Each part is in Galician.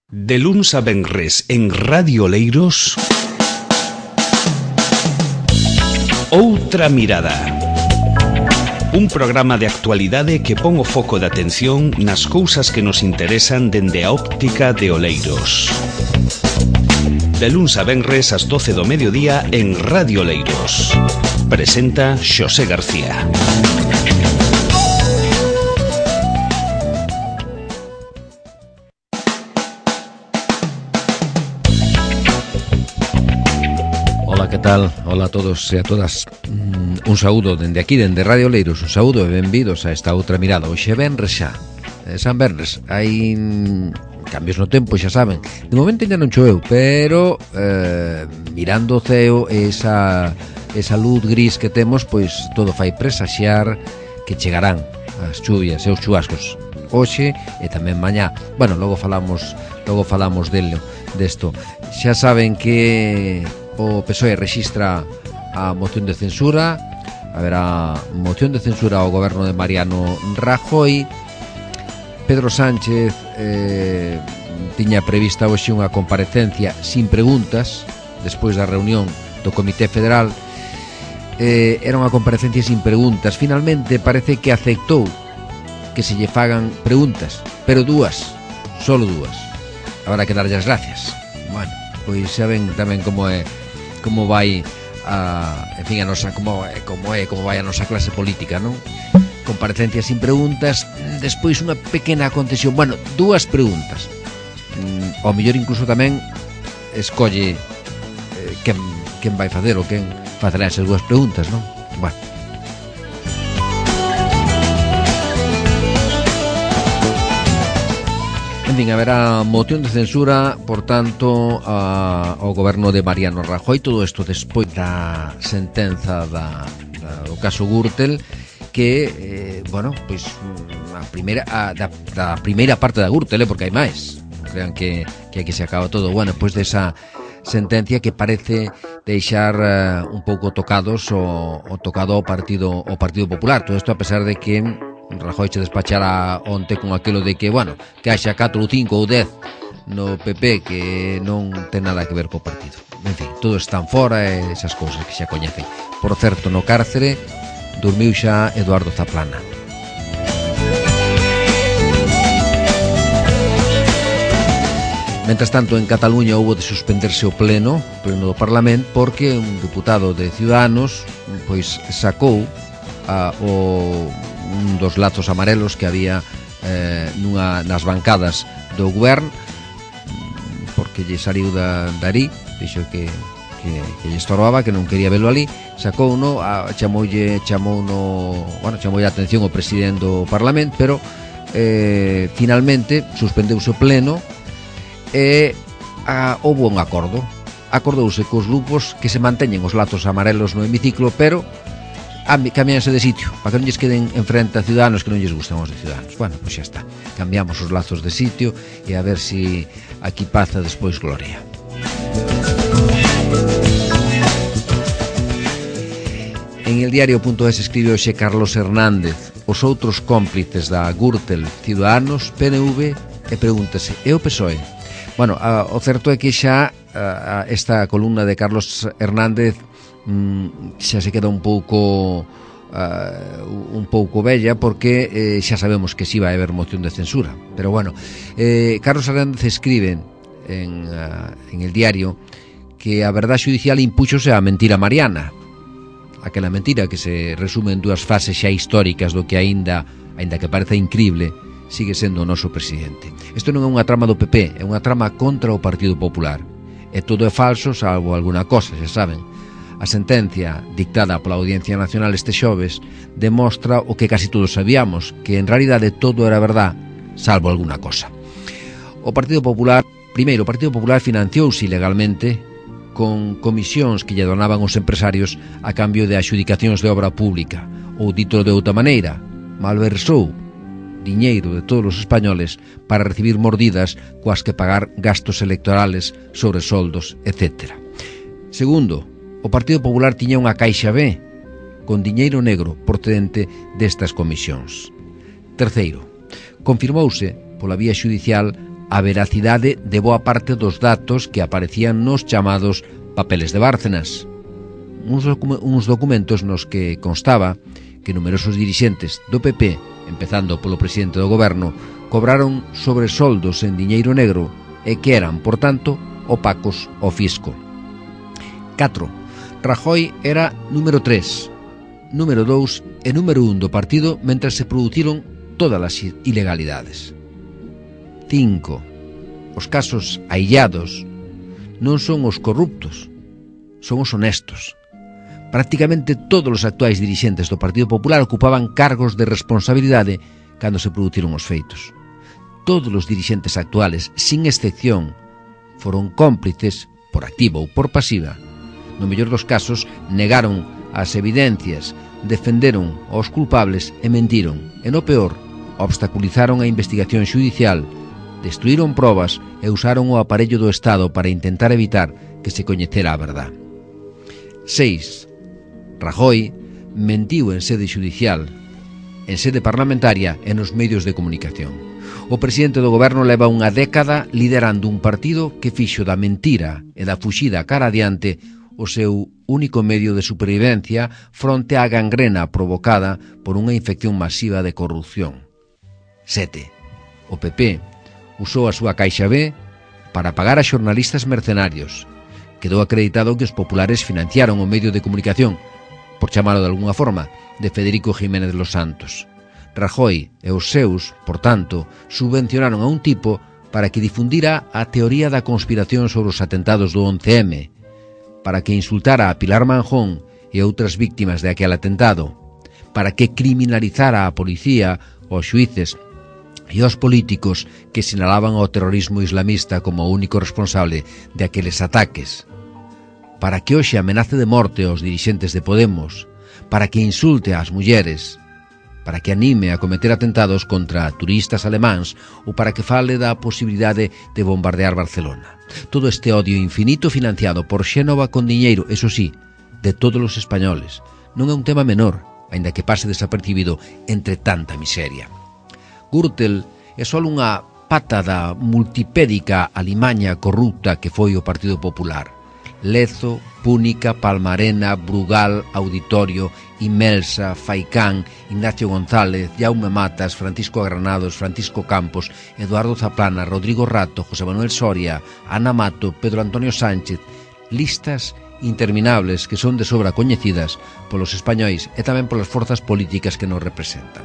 De luns a venres en Radio Oleiros, Outra Mirada. Un programa de actualidade que pon o foco de atención nas cousas que nos interesan dende a óptica de Oleiros. De luns a venres ás 12 do mediodía en Radio Oleiros. Presenta Xosé García. Ola, que tal? Ola a todos e a todas. Un saúdo dende aquí, dende Radio Oleiros. Un saúdo e benvidos a esta outra mirada. Hoxe é venres xa, San Venres. Hai cambios no tempo, xa saben. De momento ainda non choveu, pero mirando o ceo esa luz gris que temos, pois todo fai presaxiar que chegarán as chuvias e os chubascos hoxe e tamén mañá. Bueno, logo falamos desto. Xa saben que o PSOE rexistra a moción de censura. Haberá moción de censura ao goberno de Mariano Rajoy. Pedro Sánchez tiña prevista hoxe unha comparecencia sin preguntas despois da reunión do Comité Federal. Era unha comparecencia sin preguntas. Finalmente parece que aceptou que se lle fagan preguntas, pero solo dúas. Habrá que darlle as gracias. Bueno, pois xa ven tamén como vai a nosa como vai a nosa clase política, non? Comparecencias sin preguntas, despois unha pequena concesión, bueno, dúas preguntas. Ao mellor incluso tamén escolle quen vai facer ou quen facerá esas dúas preguntas, non? Bueno. En fin, haberá moción de censura, por tanto, ao goberno de Mariano Rajoy. Todo isto despois da sentenza do caso Gürtel, que, pois da primeira parte da Gürtel, porque hai máis. Non crean que aquí se acaba todo. Bueno, despois desa sentencia que parece deixar un pouco tocado ao Partido Popular. Todo isto a pesar de que Rajoy se despachara onte con aquilo de que, que haxa 4 ou 5 ou 10 no PP, que non ten nada que ver co partido. En fin, todos están fora e esas cousas que xa coñecen. Por certo, no cárcere dormiu xa Eduardo Zaplana. Mentres tanto, en Cataluña houbo de suspenderse o pleno do Parlamento, porque un deputado de Ciudadanos pois sacou un dos lazos amarelos que había nas bancadas do goberno, porque lle saliu dali, dixo que lle estorbaba, que non quería velo ali, sacouno, chamoulle a atención o presidente do Parlamento, pero finalmente suspendeuse o pleno e houbo un acordo. Acordouse cos grupos que se manteñen os lazos amarelos no hemiciclo, pero cambianse de sitio, para que non lles queden enfrente a Ciudadanos, que non lles gustan os de Ciudadanos. Bueno, pois xa está, cambiamos os lazos de sitio e a ver si aquí paza despois gloria. En el diario.es escribe hoxe Carlos Hernández: os outros cómplices da Gürtel, Ciudadanos, PNV, e pregúntase, e o PSOE? Bueno, o certo é que xa esta columna de Carlos Hernández xa se queda un pouco bella, porque xa sabemos que si vai haber moción de censura. Pero Carlos Hernández escribe en el diario que a verdade xudicial impúxose a mentira mariana, aquela mentira que se resume en dúas fases xa históricas do que aínda que parece incrible, sigue sendo o noso presidente. Isto non é unha trama do PP, é unha trama contra o Partido Popular, e todo é falso salvo alguna cosa, xa saben. A sentencia dictada pola Audiencia Nacional este xoves demostra o que casi todos sabíamos, que en realidade todo era verdad, salvo alguna cosa. O Partido Popular financiouse ilegalmente con comisións que lle donaban os empresarios a cambio de adxudicacións de obra pública, ou dito de outra maneira, malversou diñeiro de todos os españoles para recibir mordidas coas que pagar gastos electorales sobre soldos, etc. Segundo, o Partido Popular tiña unha caixa B con diñeiro negro procedente destas comisións. Terceiro, confirmouse pola vía xudicial a veracidade de boa parte dos datos que aparecían nos chamados papeles de Bárcenas. Uns documentos nos que constaba que numerosos dirixentes do PP, empezando polo presidente do goberno, cobraron sobresoldos en diñeiro negro e que eran, por tanto, opacos ao fisco. 4. Rajoy era número 3, número 2 e número 1 do partido mentre se produciron todas as ilegalidades. 5. Os casos aillados non son os corruptos, son os honestos. Prácticamente todos os actuais dirixentes do Partido Popular ocupaban cargos de responsabilidade cando se produciron os feitos. Todos os dirixentes actuales, sin excepción, foron cómplices, por activa ou por pasiva. No mellor dos casos, negaron as evidencias, defenderon aos culpables e mentiron. E no peor, obstaculizaron a investigación xudicial, destruíron probas e usaron o aparello do Estado para intentar evitar que se coñecera a verdad. 6. Rajoy mentiu en sede xudicial, en sede parlamentaria e nos medios de comunicación. O presidente do goberno leva unha década liderando un partido que fixo da mentira e da fuxida cara adiante o seu único medio de supervivencia fronte á gangrena provocada por unha infección masiva de corrupción. 7. O PP usou a súa caixa B para pagar a xornalistas mercenarios. Quedou acreditado que os populares financiaron o medio de comunicación, por chamalo de alguna forma, de Federico Jiménez los Santos. Rajoy e os seus, por tanto, subvencionaron a un tipo para que difundira a teoría da conspiración sobre os atentados do 11M, para que insultara a Pilar Manjón e outras víctimas de aquel atentado, para que criminalizara a policía, os xuíces e os políticos que sinalaban ao terrorismo islamista como o único responsable de aqueles ataques, para que hoxe amenace de morte aos dirixentes de Podemos, para que insulte ás mulleres, para que anime a cometer atentados contra turistas alemáns ou para que fale da posibilidade de bombardear Barcelona. Todo este odio infinito financiado por Xénova con diñeiro, eso sí, de todos os españoles, non é un tema menor, aínda que pase desapercibido entre tanta miseria. Gürtel é só unha pata da multipédica alimaña corrupta que foi o Partido Popular. Lezo, Púnica, Palmarena, Brugal, Auditorio, Imelsa, Faicán, Ignacio González, Jaume Matas, Francisco Granados, Francisco Campos, Eduardo Zaplana, Rodrigo Rato, José Manuel Soria, Ana Mato, Pedro Antonio Sánchez, listas interminables que son de sobra coñecidas polos españois e tamén polas forzas políticas que nos representan.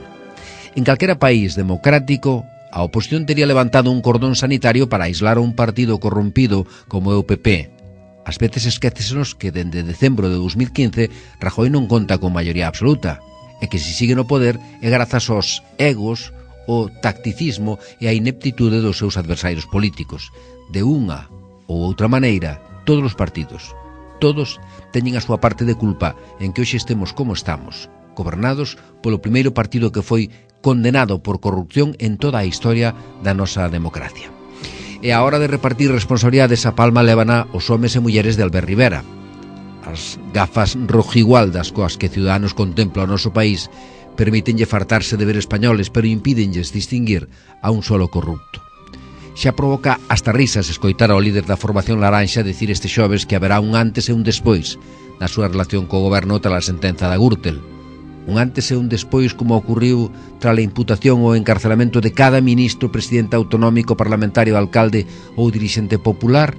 En calquera país democrático, a oposición tería levantado un cordón sanitario para aislar a un partido corrompido como é o PP. Ás veces esquécesenos que dende decembro de 2015 Rajoy non conta con maioría absoluta e que se sigue no poder é grazas aos egos, o tacticismo e a ineptitude dos seus adversarios políticos. De unha ou outra maneira, todos os partidos, todos teñen a súa parte de culpa en que hoxe estemos como estamos, gobernados polo primeiro partido que foi condenado por corrupción en toda a historia da nosa democracia. E a hora de repartir responsabilidades a palma lévana os homes e mulleres de Albert Rivera. As gafas rojigualdas coas que Ciudadanos contempla o noso país permítenlle fartarse de ver españoles, pero impídenlles distinguir a un solo corrupto. Xa provoca hasta risas escoitar ao líder da formación laranxa decir este xoves que haberá un antes e un despois na súa relación co goberno tras a sentenza da Gürtel. Un antes e un despois como ocurriu tras a imputación ou encarcelamento de cada ministro, presidente autonómico, parlamentario, alcalde ou dirixente popular.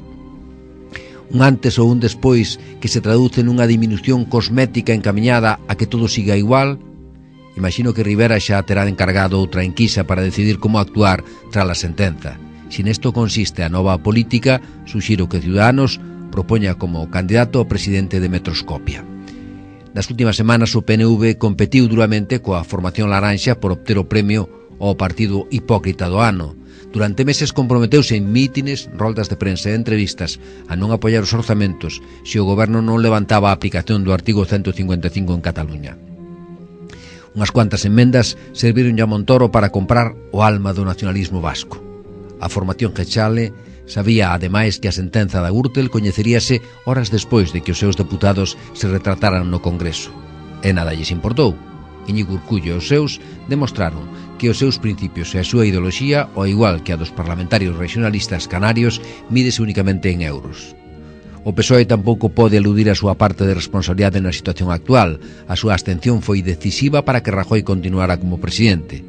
Un antes ou un despois que se traduce nunha diminución cosmética encamiñada a que todo siga igual. Imagino que Rivera xa terá encargado outra enquisa para decidir como actuar tras a sentenza. Se nesto consiste a nova política, suxiro que Ciudadanos propoña como candidato ao presidente de Metroscopia. Nas últimas semanas o PNV competiu duramente coa formación laranxa por obter o premio ao partido hipócrita do ano. Durante meses comprometeuse en mítines, roldas de prensa e entrevistas a non apoiar os orzamentos se o goberno non levantaba a aplicación do artigo 155 en Cataluña. Unhas cuantas enmendas serviron a Montoro para comprar o alma do nacionalismo vasco. A formación Gechale sabía, ademais, que a sentenza da Gürtel coñeceríase horas despois de que os seus deputados se retrataran no Congreso. E nada lles importou. Íñigo Urcullo e os seus demostraron que os seus principios e a súa ideoloxía, ao igual que a dos parlamentarios regionalistas canarios, mídese únicamente en euros. O PSOE tampouco pode eludir a súa parte de responsabilidade na situación actual. A súa abstención foi decisiva para que Rajoy continuara como presidente.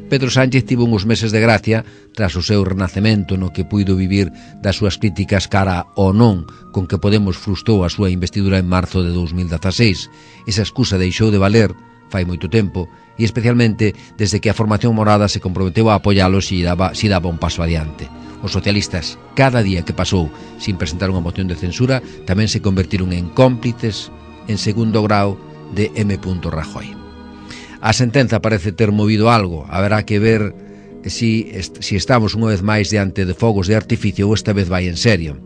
Pedro Sánchez tivo uns meses de gracia tras o seu renacemento no que puido vivir das súas críticas cara ao non con que Podemos frustrou a súa investidura en marzo de 2016. Esa excusa deixou de valer fai moito tempo e especialmente desde que a formación morada se comprometeu a apoiálos e daba un paso adiante. Os socialistas, cada día que pasou sin presentar unha moción de censura, tamén se convertiron en cómplices en segundo grau de M. Rajoy. A sentenza parece ter movido algo. Haberá que ver si estamos unha vez máis diante de fogos de artificio ou esta vez vai en serio.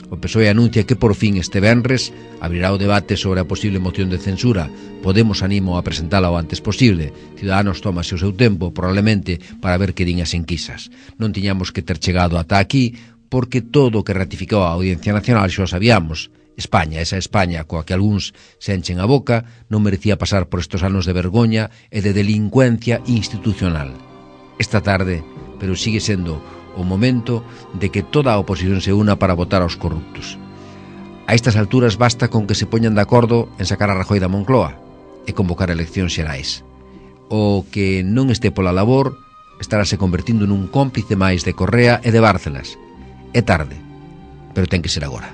O PSOE anuncia que por fin este venres abrirá o debate sobre a posible moción de censura. Podemos animo a presentala o antes posible. Ciudadanos tómase o seu tempo, probablemente, para ver que din as enquisas. Non tiñamos que ter chegado ata aquí, porque todo o que ratificou a Audiencia Nacional xa o sabíamos. España, esa España coa que algúns se enchen a boca, non merecía pasar por estes anos de vergoña e de delincuencia institucional. Esta tarde, pero sigue sendo o momento de que toda a oposición se una para votar aos corruptos. A estas alturas basta con que se poñan de acordo en sacar a Rajoy da Moncloa e convocar eleccións xerais. O que non este pola labor estarase convertindo nun cómplice máis de Correa e de Bárcenas. É tarde, pero ten que ser agora.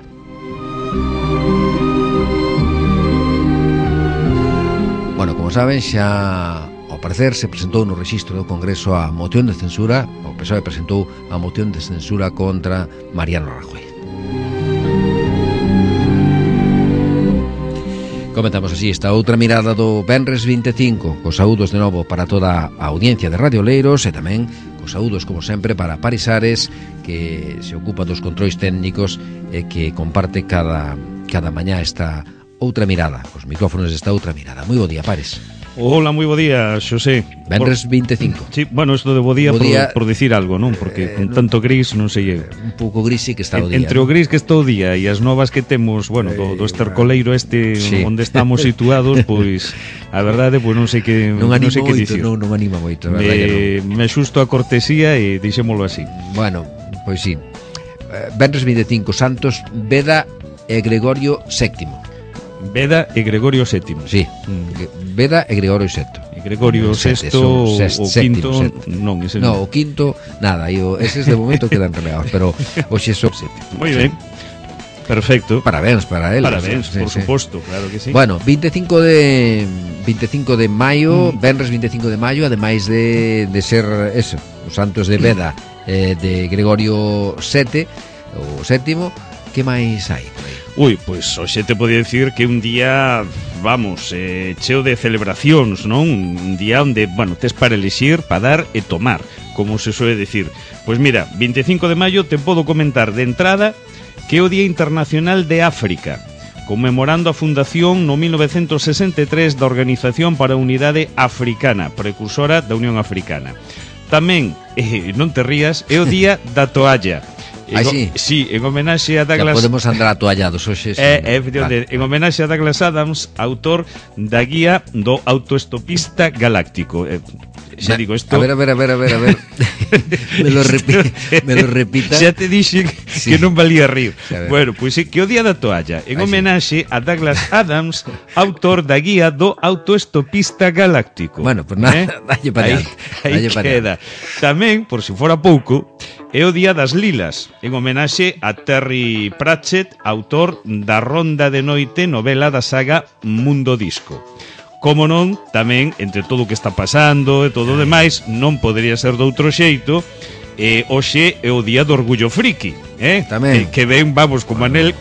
Bueno, como saben, xa ao parecer se presentou no rexistro do Congreso a moción de censura. O PSOE presentou a moción de censura contra Mariano Rajoy. Comentamos así esta outra mirada do Venres 25, cos saúdos de novo para toda a audiencia de Radio Oleiros e tamén cos saúdos, como sempre, para Paris Ares, que se ocupa dos controis técnicos e que comparte cada mañá esta outra mirada, os micrófonos desta outra mirada. Moi bo día, Pares. Hola, moi bo día, Xosé. Venres 25. Sí, bueno, isto de bo día por dicir algo, non? Porque con tanto gris non sei... Un pouco gris sí que está o día. Entre o gris que está o día e as novas que temos, bueno, do estercoleiro este sí, onde estamos situados, pois a verdade, pois non sei que non sei que dicir. Non anima moito, a verdade. Me xusto a cortesía e deixémolo así. Bueno, pois sí. Venres 25, Santos Beda e Gregorio VII. Beda e Gregorio VII. Sí, Beda e Gregorio VII. E Gregorio VI, o quinto, non, ese non. No, o quinto, nada, eses de momento quedan relegados, pero hoxe son sétimo. Moi ben. Perfecto. Parabéns para eles. Parabéns, por suposto, claro que sí. Bueno, 25 de maio, Venres 25 de maio, ademais de ser eso, os santos de Beda de Gregorio VII, o sétimo, que máis hai? Ui, pois hoxe te podía dicir que un día, vamos, cheo de celebracións, non? Un día onde, bueno, tes para elixir, para dar e tomar, como se soe dicir. Pois mira, 25 de maio te podo comentar de entrada que é o Día Internacional de África, conmemorando a fundación no 1963 da Organización para a Unidade Africana, precursora da Unión Africana. Tamén, non te rías, é o Día da Toalla. Sí, en homenaxe a Douglas... Ya podemos andar atoallados hoxe. En homenaxe a Douglas Adams, autor da guía do autoestopista galáctico. Xa digo isto... A ver. me lo repita. Xa te dixe que non valía rir. Bueno, pois sí, que o Día da Toalla, en homenaxe a Douglas Adams, autor da guía do autoestopista galáctico. Bueno, pues nada, dalle para aí queda. Tamén, por si fora pouco, é o Día das Lilas, en homenaxe a Terry Pratchett, autor da Ronda de Noite, novela da saga Mundo Disco. Como non, tamén, entre todo o que está pasando e todo o demais, non podería ser de outro xeito, hoxe é o Día do Orgullo Friki, tamén. Que ven, vamos, como anel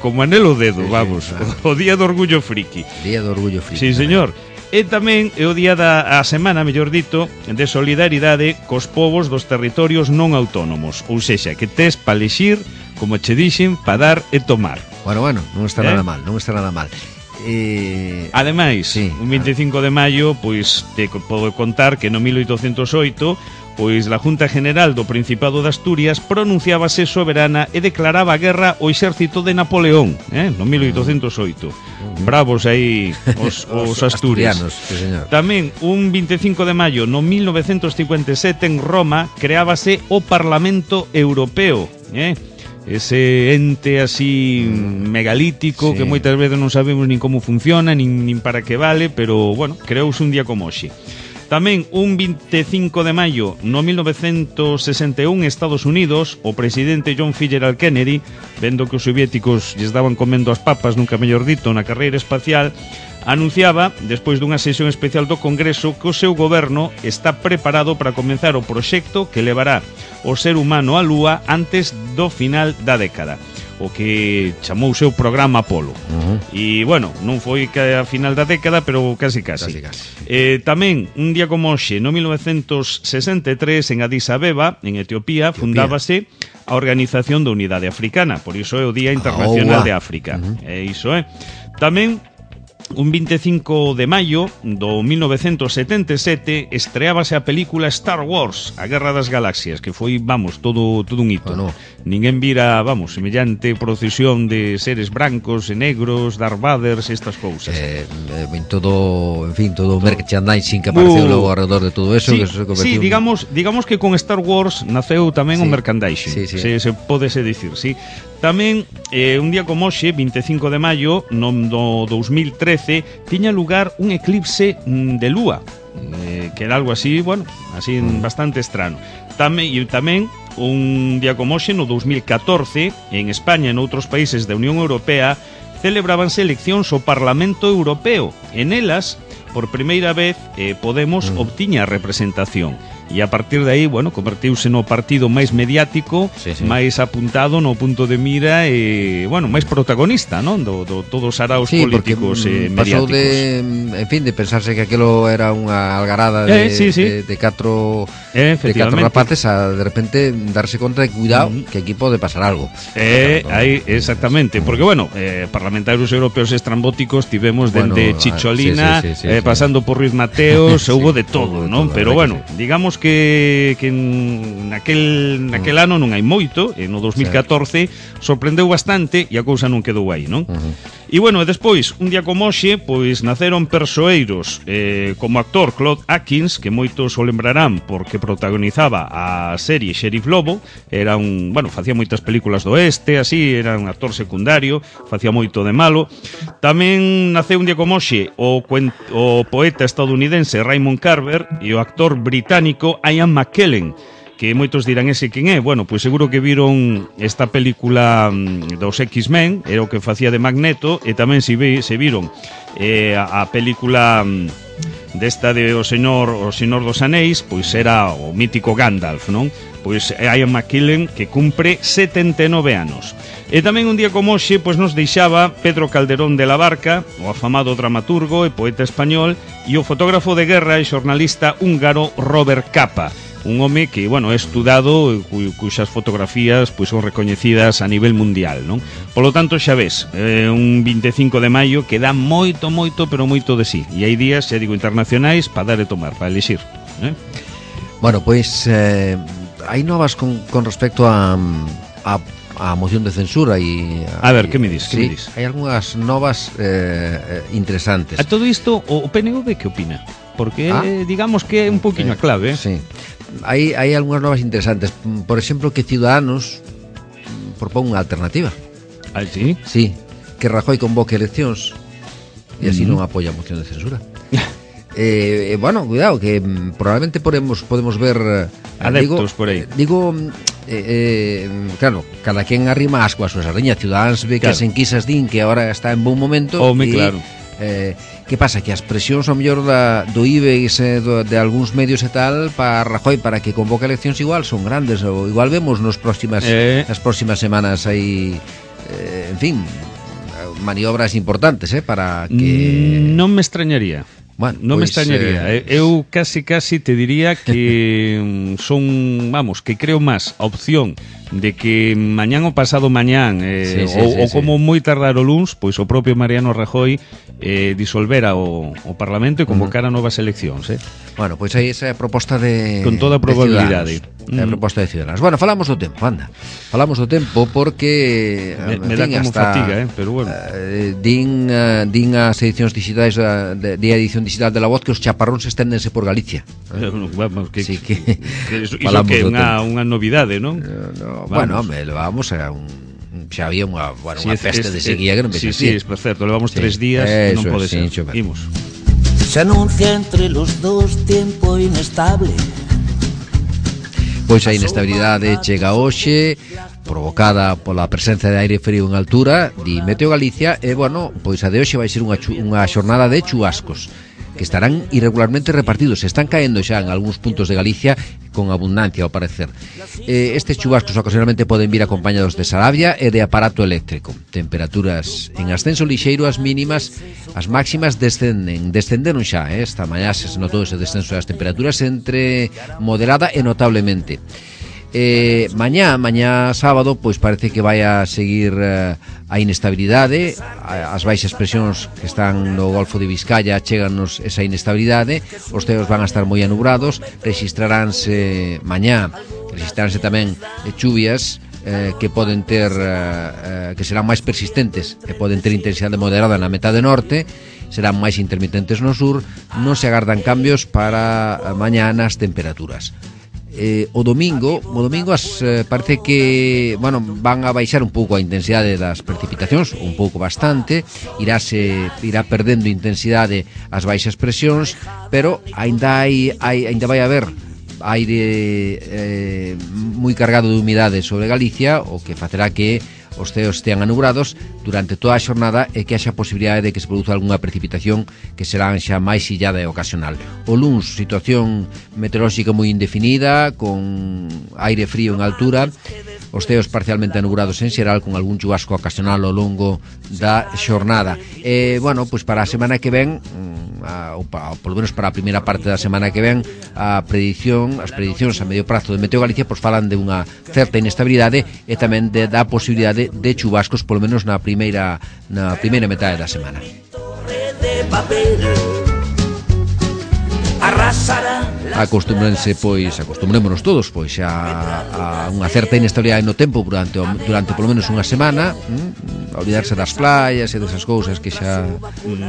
o dedo, vamos, o Día do Orgullo Friki. Día do Orgullo Friki. Sí, señor. E tamén é o día a semana, mellor dito, de solidaridade cos povos dos territorios non autónomos. Ou sexa, que tes pa lexir, como che dixen, pa dar e tomar. Bueno, non está nada mal, non está nada mal. Ademais, sí, un 25 de maio, pois te podo contar que no 1808 pois la Junta General do Principado de Asturias pronunciábase soberana e declaraba guerra ao exército de Napoleón, no 1808. Bravos aí os asturianos. Sí, señor. Tamén, un 25 de maio no 1957 en Roma creábase o Parlamento Europeo, ese ente así megalítico, sí, que moitas veces non sabemos nin como funciona, nin para que vale, pero, bueno, creouse un día como hoxe. Tamén, un 25 de maio no 1961 en Estados Unidos, o presidente John F. Kennedy, vendo que os soviéticos lles daban comendo as papas, nunca mellor dito, na carreira espacial, anunciaba, despois dunha sesión especial do Congreso, que o seu goberno está preparado para comenzar o proxecto que levará o ser humano á Lúa antes do final da década, o que chamou o seu programa Apolo. E, bueno, non foi a final da década, pero casi. Tamén, un día como hoxe, no 1963, en Addis Abeba, en Etiopía, fundábase a Organización da Unidade Africana, por iso é o Día Internacional de África. Iso é. Tamén, un 25 de maio do 1977 estreábase a película Star Wars, a Guerra das Galaxias, que foi, vamos, todo un hito. Ninguén vira, vamos, semellante procesión de seres brancos e negros, Darth Vader, estas cousas. Todo o merchandising que apareceu logo alrededor de todo eso, sí, que se convertiu... Sí, digamos que con Star Wars naceu tamén o merchandising, se pódese dicir, sí. Tamén, un día como hoxe, 25 de maio, no 2013, tiña lugar un eclipse de lúa, que era algo así, bueno, así bastante estrano. Tamén, un día como hoxe, no 2014, en España e noutros países da Unión Europea, celebrábanse eleccións ao Parlamento Europeo. En elas, por primeira vez, Podemos obtiña representación. E a partir de aí, bueno, convertiuse no partido máis mediático, máis apuntado no punto de mira e, bueno, máis protagonista, non? Do todos os araos políticos mediáticos. Pasou de pensarse que aquilo era unha algarada de catro rapaces a, de repente, darse conta de cuidado, que aquí pode pasar algo. Aí, exactamente, porque, bueno, parlamentarios europeos estrambóticos tivemos dende Chicholina, pasando por Ruiz Mateos, houve de todo, non? Pero, bueno, digamos que naquel ano non hai moito, no 2014 sorprendeu bastante e a cousa non quedou aí, non? E, bueno, despois, un día como hoxe, pois naceron persoeiros como actor Claude Atkins, que moitos o lembrarán porque protagonizaba a serie Sheriff Lobo, era facía moitas películas do oeste, así, era un actor secundario, facía moito de malo. Tamén naceu un día como hoxe o poeta estadounidense Raymond Carver e o actor británico Ian McKellen, que moitos dirán ese quen é. Bueno, pois seguro que viron esta película dos X-Men, era o que facía de Magneto, e tamén se viron a película desta de o Señor dos Anéis, pois era o mítico Gandalf, non? Pois Ian McKellen, que cumpre 79 anos. E tamén un día como hoxe, pois nos deixaba Pedro Calderón de la Barca, o afamado dramaturgo e poeta español, e o fotógrafo de guerra e xornalista húngaro Robert Capa, un home que, bueno, é estudado, cuxas fotografías pois son recoñecidas a nivel mundial, non? Polo tanto, xa ves, un 25 de maio que dá moito, pero moito de sí. E hai días, xa digo, internacionais para dar e tomar, para elixir. Bueno, pois hai novas con respecto a moción de censura e... A ver, que me dis? Hai algunhas novas interesantes. A todo isto, o PNV que opina? Porque digamos que é un poquinho a clave. Sí. Hai algunhas novas interesantes. Por exemplo, que Ciudadanos propón unha alternativa. Ah, sí? Sí, que Rajoy convoque eleccións e así non apoia a moción de censura. Bueno, cuidado, que probablemente podemos ver adeptos por aí. Claro, cada quen arrima asco a súa sardiña. Ciudadanos ve que as enquisas din que agora está en bon momento. Claro. Que pasa? Que as presións ao mellor do IBEX de algúns medios e tal para Rajoy, para que convoque eleccións, igual son grandes, ou igual vemos nas próximas semanas aí, en fin, maniobras importantes para que... Non me extrañaría. Bueno, non me extrañaría. Eu casi te diría que son, vamos, que creo máis a opción de que mañán ou pasado mañán ou como moi tardar o luns, pois o propio Mariano Rajoy disolvera o Parlamento e convocara novas eleccións. Bueno, pois aí esa é a proposta de con toda a probabilidade. É a proposta de Ciudadanos. Bueno, falamos do tempo, anda. Falamos do tempo porque me dá como fatiga, pero bueno. Din as edicións digitais a edición digital de La Voz que os chaparróns esténdense por Galicia. Vamos, que iso que é unha novidade, non? Bueno, levamos a xa había unha peste de sequía que non me Sí, por certo, levamos 3 días que non pode ser. Imos. Se anuncia entre los dos tiempo inestable. Pois a inestabilidade chega hoxe, provocada pola presencia de aire frío en altura, di Meteo Galicia, e, bueno, pois a de hoxe vai ser unha xornada de chubascos, que estarán irregularmente repartidos. Están caendo xa en algúns puntos de Galicia con abundancia, ao parecer. Estes chubascos ocasionalmente poden vir acompañados de sarabia e de aparato eléctrico. Temperaturas en ascenso lixeiro, as mínimas, as máximas descenderon xa. Esta mañá se notou ese descenso das temperaturas entre moderada e notablemente. Mañá sábado, pois parece que vai a seguir a inestabilidade, as baixas presións que están no Golfo de Vizcaya cheganos esa inestabilidade, os ceos van a estar moi anubrados, rexistraránse mañá, tamén chuvias que poden ter que serán máis persistentes, que poden ter intensidade moderada na metade norte, serán máis intermitentes no sur, non se agardan cambios para mañá nas temperaturas. O domingo parece que van a baixar un pouco a intensidade das precipitacións, un pouco bastante, irá perdendo intensidade as baixas presións, pero ainda vai haber aire moi cargado de humidade sobre Galicia, o que facerá que os ceos estean anubrados durante toda a xornada e que haxa posibilidade de que se produza algunha precipitación que será xa máis illada e ocasional. O luns, situación meteorolóxica moi indefinida, con aire frío en altura, os ceos parcialmente anubrados en xeral, con algún chubasco ocasional ao longo da xornada. Bueno, pois para a semana que ven, ou polo menos para a primeira parte da semana que ven, as predicións a medio prazo de Meteo Galicia pois falan de unha certa inestabilidade e tamén da posibilidade de chubascos polo menos na primeira metade da semana. Acostumémonos todos pois a unha certa inestabilidade no tempo durante polo menos unha semana, a olvidarse das playas e desas cousas que xa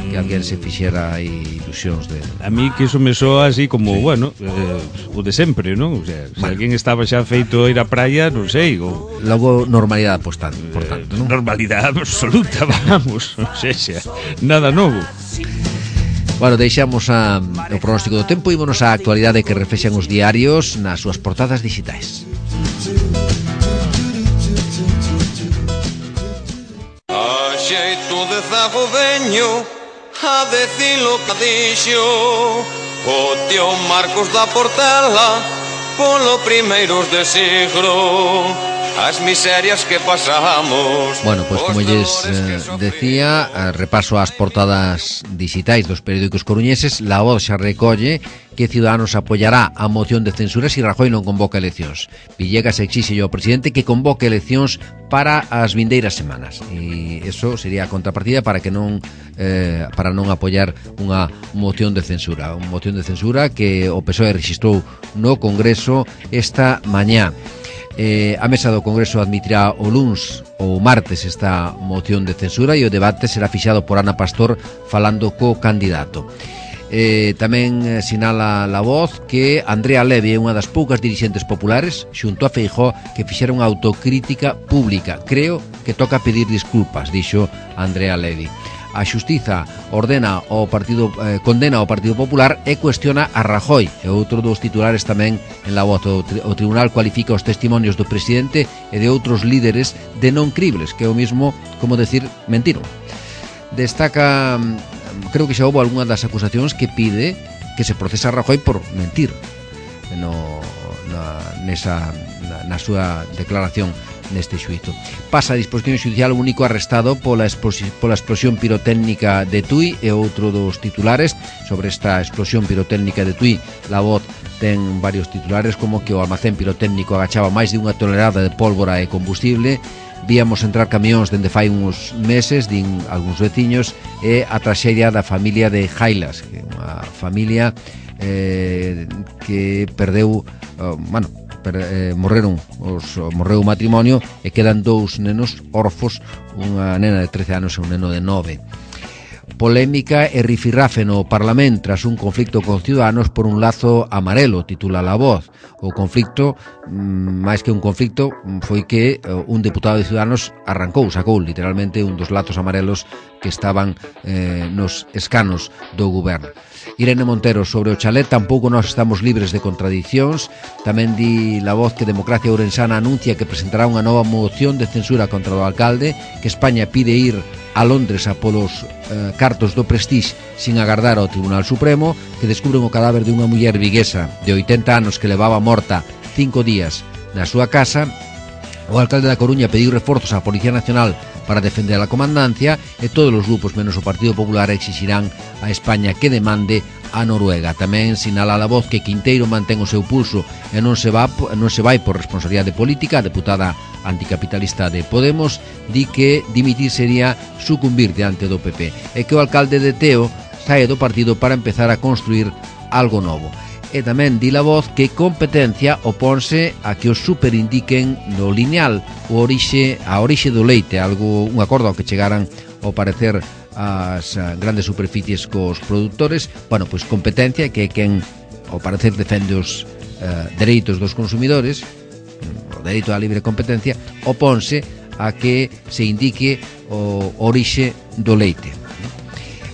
que alguén se fixera ilusións de... A mí que iso me soa así como, bueno, o de sempre, non? O sea, se alguén estaba xa feito a ir á praia, non sei, ou... Logo normalidade, por tanto, non? Normalidade absoluta, vamos, o sea, nada novo. Bueno, deixamos o pronóstico do tempo e ímonos á actualidade que reflexan os diarios nas súas portadas digitais. A xeito de zago veño a decilo que dixo o tío Marcos da Portela polo primeiros de siglo. As miserias que pasamos. Bueno, pois como lles decía, repaso as portadas digitais dos periódicos coruñeses. La Voz xa recolle que Ciudadanos apoiará a moción de censura se Rajoy non convoca eleccións. Villegas exixe ao presidente que convoque eleccións para as vindeiras semanas. E eso sería a contrapartida para que non apoiar unha moción de censura. Unha moción de censura que o PSOE rexistrou no Congreso esta mañá. A mesa do Congreso admitirá o luns ou martes esta moción de censura e o debate será fixado por Ana Pastor falando co candidato. Tamén sinala La Voz que Andrea Levy é unha das poucas dirixentes populares xunto a Feijóo que fixeron autocrítica pública. Creo que toca pedir disculpas, dixo Andrea Levy. A Xustiza condena ao Partido Popular e cuestiona a Rajoy. E outro dos titulares tamén en La Voz. O Tribunal cualifica os testimonios do presidente e de outros líderes de non cribles, que é o mismo como decir mentiron. Destaca, creo que xa houve algunha das acusacións que pide que se procesa a Rajoy por mentir na súa declaración neste xuízo. Pasa a disposición xudicial o único arrestado pola explosión pirotécnica de Tui, e outro dos titulares sobre esta explosión pirotécnica de Tui. La Voz ten varios titulares, como que o almacén pirotécnico agachaba máis de 1 tonelada de pólvora e combustible. Víamos entrar camións dende fai uns meses, din algúns veciños, e a traxedia da familia de Jailas, que é unha familia que perdeu, morreu o matrimonio e quedan 2 nenos orfos, unha nena de 13 anos e un neno de 9. Polémica e rifirrafe no Parlamento tras un conflicto con Ciudadanos por un lazo amarelo, titula La Voz. O conflicto, máis que un conflicto, foi que un deputado de Ciudadanos sacou literalmente un dos lazos amarelos que estaban nos escanos do goberno. Irene Montero sobre o chalet: tampouco nós estamos libres de contradicións. Tamén di La Voz que Democracia Ourensana anuncia que presentará unha nova moción de censura contra o alcalde, que España pide ir a Londres a polos cartos do Prestige sin agardar ao Tribunal Supremo, que descubren o cadáver de unha muller viguesa de 80 anos que levaba morta 5 días na súa casa. O alcalde da Coruña pediu reforzos á Policía Nacional para defender a comandancia, e todos os grupos menos o Partido Popular exixirán a España que demande a Noruega. Tamén sinala La Voz que Quinteiro mantén o seu pulso e non se vai por responsabilidade política. A deputada anticapitalista de Podemos di que dimitir sería sucumbir diante do PP, e que o alcalde de Teo sae do partido para empezar a construir algo novo. E tamén di La Voz que competencia oponse a que os superindiquen no lineal a orixe do leite, un acordo ao que chegaran ao parecer as grandes superficies cos produtores. Bueno, pois competencia, que é quen ao parecer defende os dereitos dos consumidores, o dereito á libre competencia, oponse a que se indique o orixe do leite.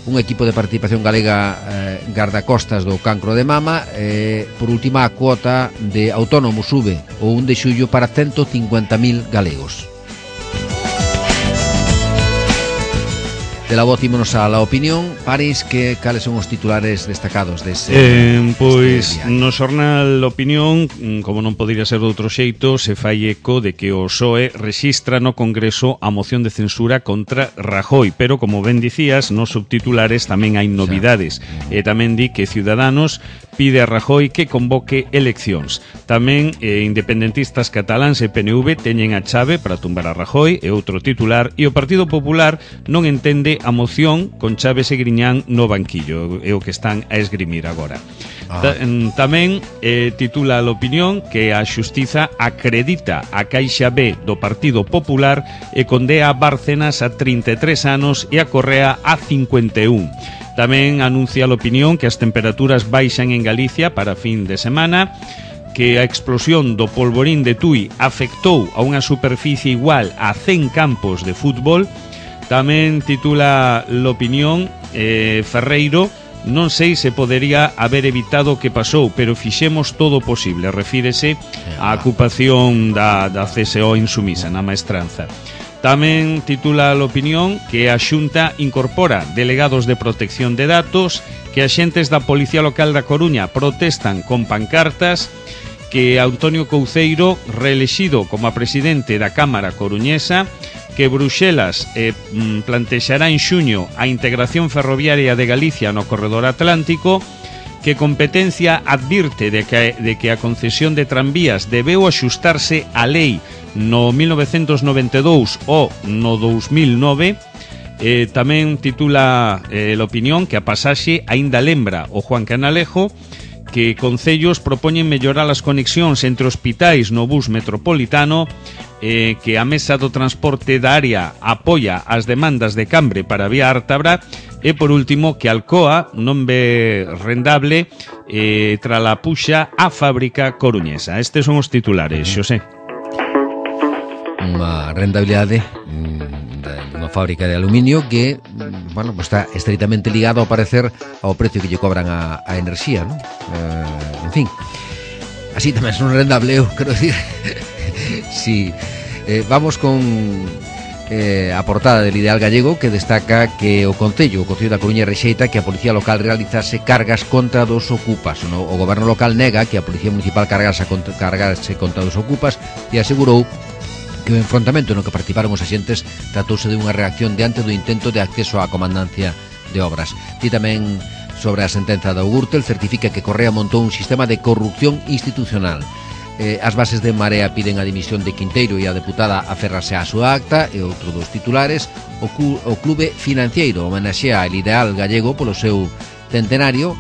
Un equipo de participación galega gardacostas do cancro de mama. Por última, a cuota de autónomos sube o 1 de xullo para 150.000 galegos. De La Voz ímonos a La Opinión. París, cales son os titulares destacados dese pois no xornal Opinión, como non podería ser de outro xeito, se fai eco de que o PSOE rexistra no Congreso a moción de censura contra Rajoy, pero como ben dicías, nos subtitulares tamén hai novidades. E tamén di que Ciudadanos pide a Rajoy que convoque eleccións. Tamén independentistas cataláns e PNV teñen a chave para tumbar a Rajoy, e outro titular, e o Partido Popular non entende a moción con Chaves e Griñán no banquillo, é o que están a esgrimir agora. Tamén titula a Opinión que a Xustiza acredita a Caixa B do Partido Popular e condea a Bárcenas a 33 anos e a Correa a 51. Tamén anuncia a Opinión que as temperaturas baixan en Galicia para fin de semana, que a explosión do polvorín de Tui afectou a unha superficie igual a 100 campos de fútbol. Tamén titula L'Opinión, Ferreiro: non sei se podería haber evitado o que pasou, pero fixemos todo o posible. Refírese á ocupación da CSO insumisa na maestranza. Tamén titula L'Opinión que a Xunta incorpora delegados de protección de datos, que axentes da Policía Local da Coruña protestan con pancartas, que Antonio Couceiro reelexido como presidente da Cámara Coruñesa, que Bruxelas plantexará en xuño a integración ferroviaria de Galicia no corredor atlántico, que Competencia advirte de que a concesión de tranvías debeu axustarse á lei no 1992 ou no 2009. Tamén titula L'Opinión que a pasaxe aínda lembra o Juan Canalejo, que concellos propoñen mellorar as conexións entre hospitais no bus metropolitano, que a Mesa do Transporte da Área apoia as demandas de Cambre para a vía Ártabra, e por último que Alcoa non ve rendable tras a puxa á fábrica coruñesa. Estes son os titulares, Xosé. Unha rentabilidade dunha fábrica de aluminio que, bueno, pues está estreitamente ligado ao parecer ao precio que lle cobran a enerxía, ¿no? En fin, así tamén son rentable, eu quero dicir. Sí, vamos con a portada del Ideal Gallego, que destaca que o Concello da Coruña rexeita que a Policía Local realizase cargas contra dos ocupas. O Goberno Local nega que a Policía Municipal cargase contra dos ocupas e asegurou que que o enfrontamento no que participaron os axentes tratouse de unha reacción diante do intento de acceso á comandancia de obras. Ti tamén sobre a sentenza da Gürtel certifica que Correa montou un sistema de corrupción institucional. As bases de Marea piden a dimisión de Quinteiro e a deputada aférrase á súa acta, e outro dos titulares, o Clube Financiero homenaxea el ideal gallego polo seu centenario.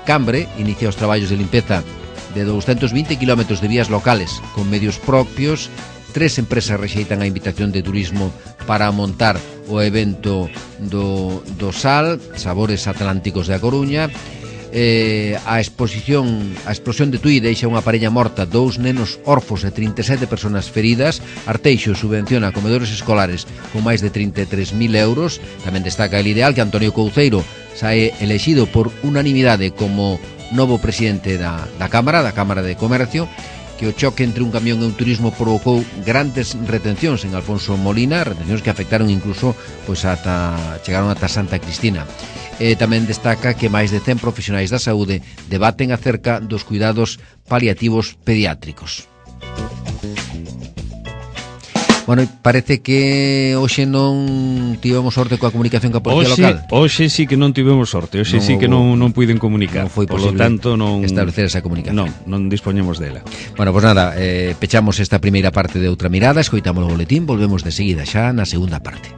Cambre inicia os traballos de limpeza de 220 km de vías locales con medios propios. 3 empresas rexeitan a invitación de turismo para montar o evento do Sal, Sabores Atlánticos de A Coruña. A explosión de Tui deixa unha parella morta, 2 nenos orfos e 37 personas feridas. Arteixo subvenciona comedores escolares con máis de 33.000 euros. Tamén destaca el ideal que Antonio Couceiro sae elexido por unanimidade como novo presidente da Cámara de Comercio, que o choque entre un camión e un turismo provocou grandes retencións en Alfonso Molina, retencións que afectaron incluso chegaron ata Santa Cristina. Tamén destaca que máis de 100 profesionais da saúde debaten acerca dos cuidados paliativos pediátricos. Bueno, parece que hoxe non tivemos sorte coa comunicación coa Policía Local. Hoxe sí que non tivemos sorte, hoxe sí que non puiden comunicar. Non foi posible, tanto, non establecer esa comunicación. Non dispoñemos dela. Bueno, pois nada, pechamos esta primeira parte de Outra Mirada, escoitamos o boletín, volvemos de seguida xa na segunda parte.